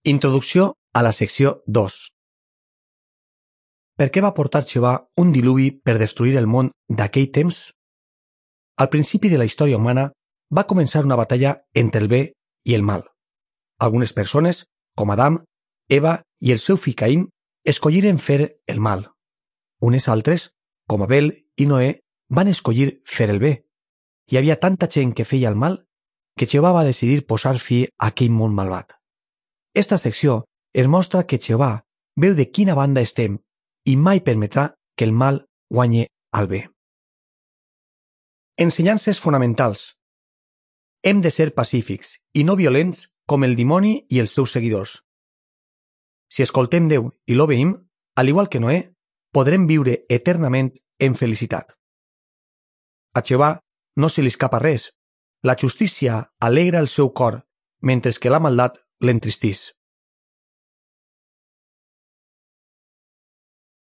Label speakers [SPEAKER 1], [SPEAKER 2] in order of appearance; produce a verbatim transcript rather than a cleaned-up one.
[SPEAKER 1] Introducció a la secció dos. Per què va portar Jehovà un diluvi per destruir el món d'aquell temps? Al principi de la història humana va començar una batalla entre el bé i el mal. Algunes persones, com Adam, Eva i el seu fill Caín, escolliren fer el mal. Unes altres, com Abel i Noé, van escollir fer el bé. Hi havia tanta gent que feia el mal que Jehovà va decidir posar fi a aquell món malvat. Esta secció es mostra que Jehovà veu de quina banda estem i mai permetrà que el mal guanye al bé. Ensenyances fonamentals. Hem de ser pacífics i no violents com el dimoni i els seus seguidors. Si escoltem Déu i l'obeïm, al igual que Noé, podrem viure eternament en felicitat. A Jehovà no se li escapa res. La justícia alegra el seu cor, mentre que la maldat l'entristís.